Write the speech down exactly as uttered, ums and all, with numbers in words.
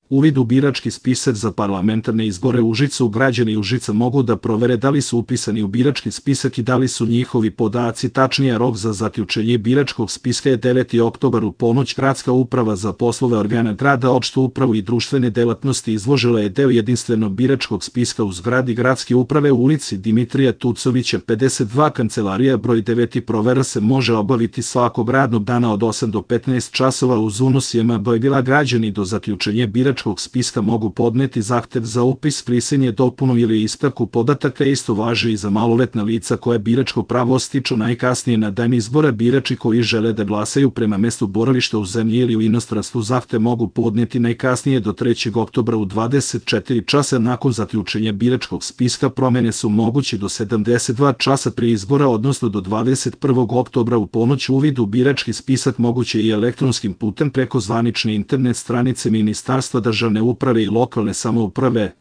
Uvid u birački spisak za parlamentarne izbore u Užicu. Građani Užica mogu da provere da li su upisani u birački spisak i da li su njihovi podaci tačnije. Rok za zaključenje biračkog spiska je deveti oktobar u ponoć. Gradska uprava za poslove organa grada, opštu upravu i društvene delatnosti izložila je deo jedinstvenog biračkog spiska u zgradi gradske uprave u ulici Dimitrija Tucovića pedeset dva, kancelarija broj devet. Provera se može obaviti svakog radnog dana od osam do petnaest časova uz unos J M B. Građani do zaključenja biračkog spiska mogu podneti zahtev za upis, brisanje, dopunu ili ispravku podataka. Isto važi i za maloletna lica koja biračko pravo stiču najkasnije na dan izbora. Birači koji žele da glasaju prema mestu boravišta u zemlji ili u inostranstvu zahtev mogu podneti najkasnije do trećeg oktobra u dvadeset četiri časa nakon zaključenja biračkog spiska. Promene su moguće do sedamdeset dva časa prije izbora, odnosno do dvadeset prvog oktobra u ponoć. Uvid u birački spisak moguće i elektronskim putem preko zvanične internet stranice Ministarstva državne uprave i lokalne samouprave.